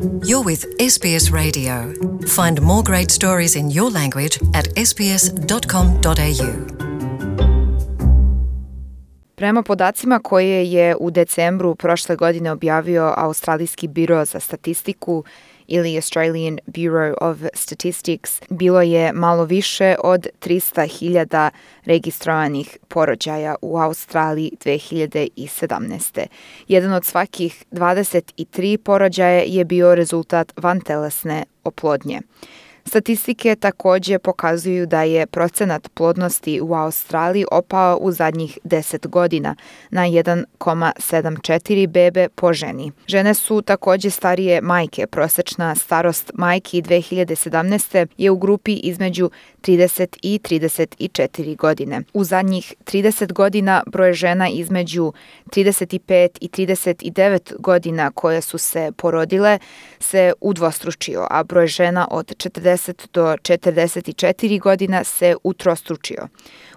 You're with SBS Radio. Find more great stories in your language at sbs.com.au. Prema podacima koje je u decembru prošle godine objavio Australijski biro za statistiku ili Australian Bureau of Statistics, bilo je malo više od 300.000 registrovanih porođaja u Australiji 2017. Jedan od svakih 23 porođaja je bio rezultat vantelesne oplodnje. Statistike također pokazuju da je procenat plodnosti u Australiji opao u zadnjih 10 godina na 1,74 bebe po ženi. Žene su također starije majke. Prosečna starost majki 2017. je u grupi između 30 i 34 godine. U zadnjih 30 godina broj žena između 35 i 39 godina koje su se porodile se udvostručio, a broj žena od 40 do 44 godina se utrostručio.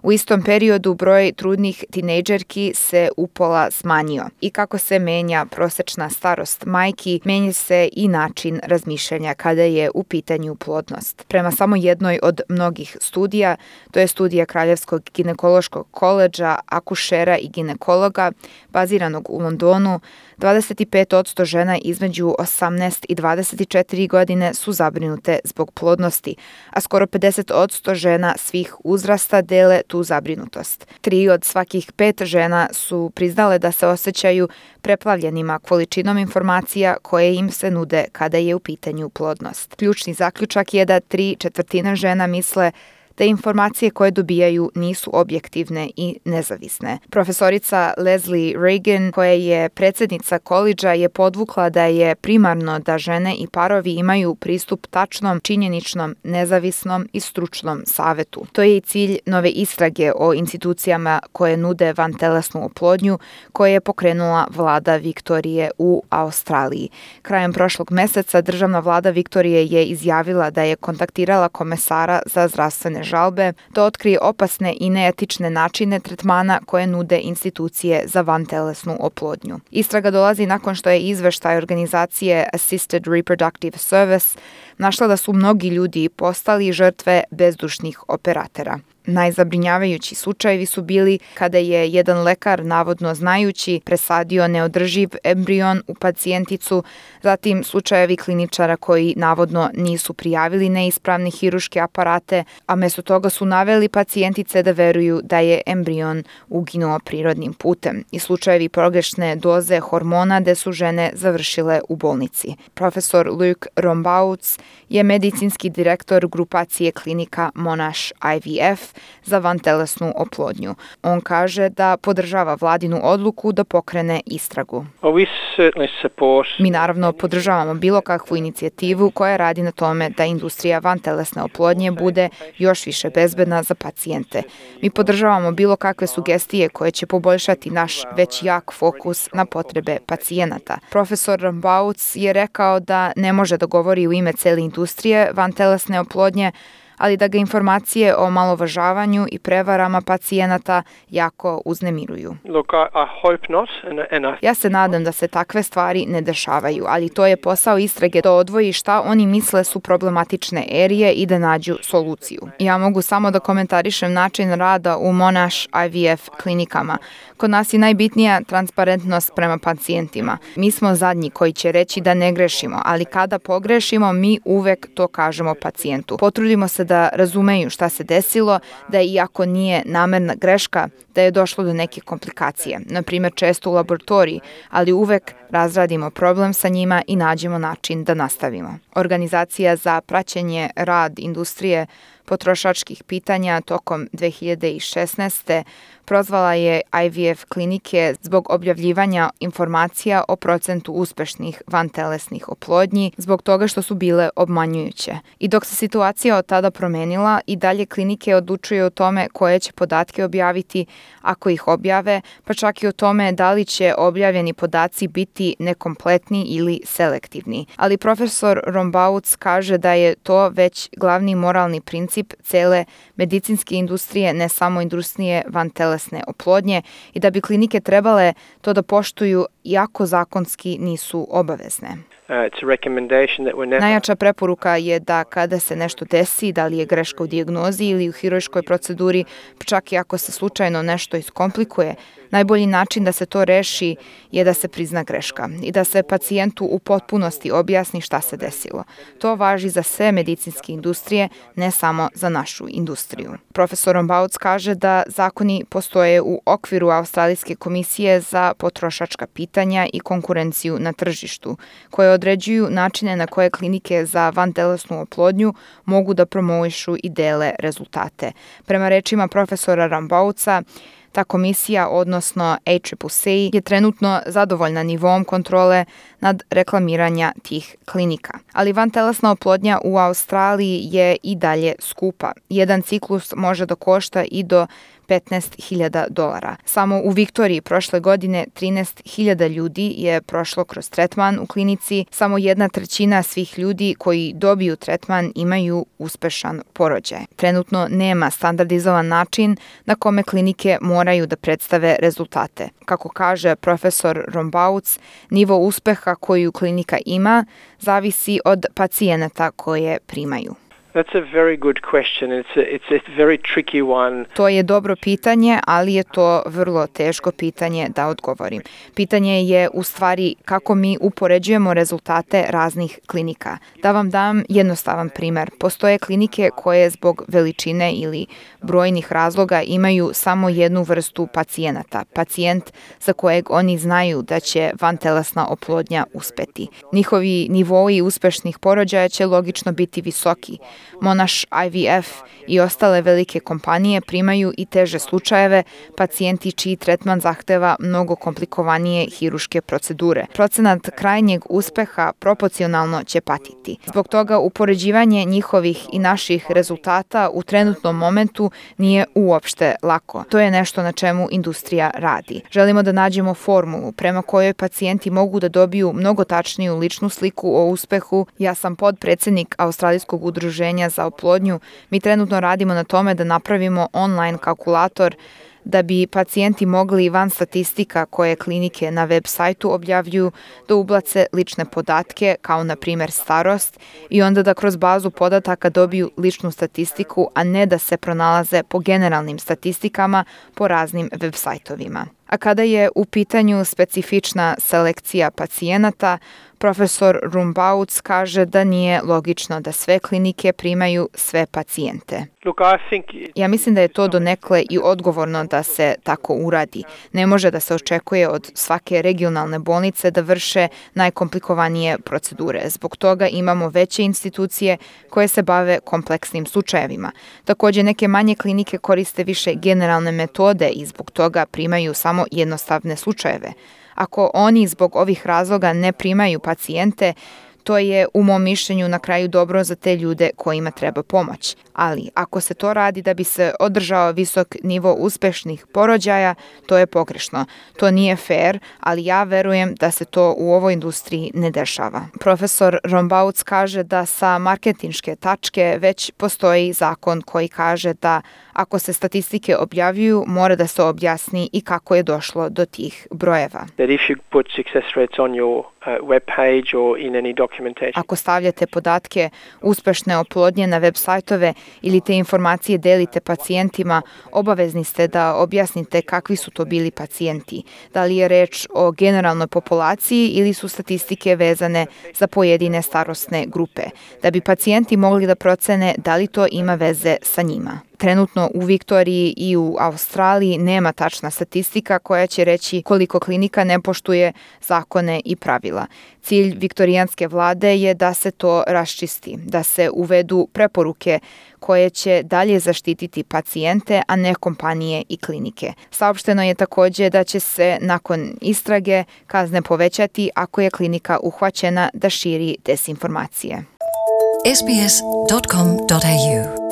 U istom periodu broj trudnih tinejdžerki se upola smanjio. I kako se menja prosečna starost majki, menja se i način razmišljanja kada je u pitanju plodnost. Prema samo jednoj od mnogih studija, to je studija Kraljevskog ginekološkog koledža, akušera i ginekologa, baziranog u Londonu, 25% žena između 18 i 24 godine su zabrinute zbog plodnosti, a skoro 50% žena svih uzrasta dele tu zabrinutost. 3 od svakih 5 žena su priznale da se osjećaju preplavljenima količinom informacija koje im se nude kada je u pitanju plodnost. Ključni zaključak je da 3/4 žena misle da informacije koje dobijaju nisu objektivne i nezavisne. Profesorica Leslie Reagan, koja je predsjednica koledža, je podvukla da je primarno da žene i parovi imaju pristup tačnom, činjeničnom, nezavisnom i stručnom savetu. To je i cilj nove istrage o institucijama koje nude vantelesnu oplodnju, koje je pokrenula vlada Viktorije u Australiji. Krajem prošlog meseca državna vlada Viktorije je izjavila da je kontaktirala komesara za zdravstvene žalbe da otkrije opasne i neetične načine tretmana koje nude institucije za vantelesnu oplodnju. Istraga dolazi nakon što je izveštaj organizacije Assisted Reproductive Service našla da su mnogi ljudi postali žrtve bezdušnih operatera. Najzabrinjavajući slučajevi su bili kada je jedan lekar, navodno znajući, presadio neodrživ embrion u pacijenticu, zatim slučajevi kliničara koji navodno nisu prijavili neispravne hiruške aparate, a mjesto toga su naveli pacijentice da veruju da je embrion uginuo prirodnim putem, i slučajevi pogrešne doze hormona gde su žene završile u bolnici. Profesor Luke Rombauts je medicinski direktor grupacije klinika Monash IVF za vantelesnu oplodnju. On kaže da podržava vladinu odluku da pokrene istragu. Mi naravno podržavamo bilo kakvu inicijativu koja radi na tome da industrija vantelesne oplodnje bude još više bezbedna za pacijente. Mi podržavamo bilo kakve sugestije koje će poboljšati naš već jak fokus na potrebe pacijenata. Profesor Rombauts je rekao da ne može da govori u ime cele industrije vantelesne oplodnje, ali da ga informacije o malovažavanju i prevarama pacijenata jako uznemiruju. Ja se nadam da se takve stvari ne dešavaju, ali to je posao istrage da odvoji šta oni misle su problematične erije i da nađu soluciju. Ja mogu samo da komentarišem način rada u Monash IVF klinikama. Kod nas je najbitnija transparentnost prema pacijentima. Mi smo zadnji koji će reći da ne grešimo, ali kada pogrešimo, mi uvek to kažemo pacijentu. Potrudimo se da razumeju šta se desilo, da iako nije namerna greška, da je došlo do neke komplikacije, na primjer često u laboratoriji, ali uvek razradimo problem sa njima i nađemo način da nastavimo. Organizacija za praćenje rad industrije potrošačkih pitanja tokom 2016. prozvala je IVF klinike zbog objavljivanja informacija o procentu uspešnih vantelesnih oplodnji zbog toga što su bile obmanjujuće. I dok se situacija od tada promenila, i dalje klinike odlučuju o tome koje će podatke objaviti, ako ih objave, pa čak i o tome da li će objavljeni podaci biti nekompletni ili selektivni. Ali profesor Rombauts kaže da je to već glavni moralni princip cele medicinske industrije, ne samo industrije vantelesne oplodnje, i da bi klinike trebale to da poštuju iako zakonski nisu obavezne. Najjača preporuka je da kada se nešto desi, da li je greška u dijagnozi ili u hirurškoj proceduri, čak i ako se slučajno nešto iskomplikuje, najbolji način da se to reši je da se prizna greška i da se pacijentu u potpunosti objasni šta se desilo. To važi za sve medicinske industrije, ne samo za našu industriju. Profesor Rombauts kaže da zakoni postoje u okviru Australijske komisije za potrošačka pitanja i konkurenciju na tržištu, koje određuju načine na koje klinike za vantelesnu oplodnju mogu da promovišu i dele rezultate. Prema rečima profesora Rombautsa, ta komisija, odnosno ACCC, je trenutno zadovoljna nivom kontrole nad reklamiranja tih klinika. Ali vantelesna oplodnja u Australiji je i dalje skupa. Jedan ciklus može da košta i do $15,000. Samo u Viktoriji prošle godine 13,000 ljudi je prošlo kroz tretman u klinici. Samo 1/3 svih ljudi koji dobiju tretman imaju uspešan porođaj. Trenutno nema standardizovan način na kome klinike moraju da predstave rezultate. Kako kaže profesor Rombauts, nivo uspeha koju klinika ima zavisi od pacijenata koje primaju. That's a very good question. It's a very tricky one. To je dobro pitanje, ali je to vrlo teško pitanje da odgovorim. Pitanje je u stvari kako mi upoređujemo rezultate raznih klinika. Da vam dam jednostavan primer. Postoje klinike koje zbog veličine ili brojnih razloga imaju samo jednu vrstu pacijenata. Pacijent za kojeg oni znaju da će vantelesna oplodnja uspeti. Njihovi nivoi uspešnih porođaja će logično biti visoki. Monash IVF i ostale velike kompanije primaju i teže slučajeve, pacijenti čiji tretman zahteva mnogo komplikovanije hirurške procedure. Procenat krajnjeg uspeha proporcionalno će patiti. Zbog toga upoređivanje njihovih i naših rezultata u trenutnom momentu nije uopšte lako. To je nešto na čemu industrija radi. Želimo da nađemo formulu prema kojoj pacijenti mogu da dobiju mnogo tačniju ličnu sliku o uspehu. Ja sam podpredsednik Australijskog udruženja za oplodnju. Mi trenutno radimo na tome da napravimo online kalkulator da bi pacijenti mogli van statistika koje klinike na web sajtu objavljuju da ublace lične podatke, kao na primjer starost, i onda da kroz bazu podataka dobiju ličnu statistiku, a ne da se pronalaze po generalnim statistikama po raznim web sajtovima. A kada je u pitanju specifična selekcija pacijenata, profesor Rombauts kaže da nije logično da sve klinike primaju sve pacijente. Ja mislim da je to donekle i odgovorno da se tako uradi. Ne može da se očekuje od svake regionalne bolnice da vrše najkomplikovanije procedure. Zbog toga imamo veće institucije koje se bave kompleksnim slučajevima. Također neke manje klinike koriste više generalne metode i zbog toga primaju samo jednostavne slučajeve. Ako oni zbog ovih razloga ne primaju pacijente, to je u mom mišljenju na kraju dobro za te ljude kojima treba pomoć. Ali ako se to radi da bi se održao visok nivo uspešnih porođaja, to je pogrešno. To nije fair, ali ja verujem da se to u ovoj industriji ne dešava. Profesor Rombauts kaže da sa marketinške tačke već postoji zakon koji kaže da ako se statistike objavljuju, mora da se objasni i kako je došlo do tih brojeva. Ako stavljate podatke uspešne oplodnje na web sajtove ili te informacije delite pacijentima, obavezni ste da objasnite kakvi su to bili pacijenti. Da li je reč o generalnoj populaciji ili su statistike vezane za pojedine starosne grupe, da bi pacijenti mogli da procene da li to ima veze sa njima. Trenutno u Viktoriji i u Australiji nema tačna statistika koja će reći koliko klinika ne poštuje zakone i pravila. Cilj viktorijanske vlade je da se to raščisti, da se uvedu preporuke koje će dalje zaštititi pacijente, a ne kompanije i klinike. Saopšteno je također da će se nakon istrage kazne povećati ako je klinika uhvaćena da širi dezinformacije. sbs.com.au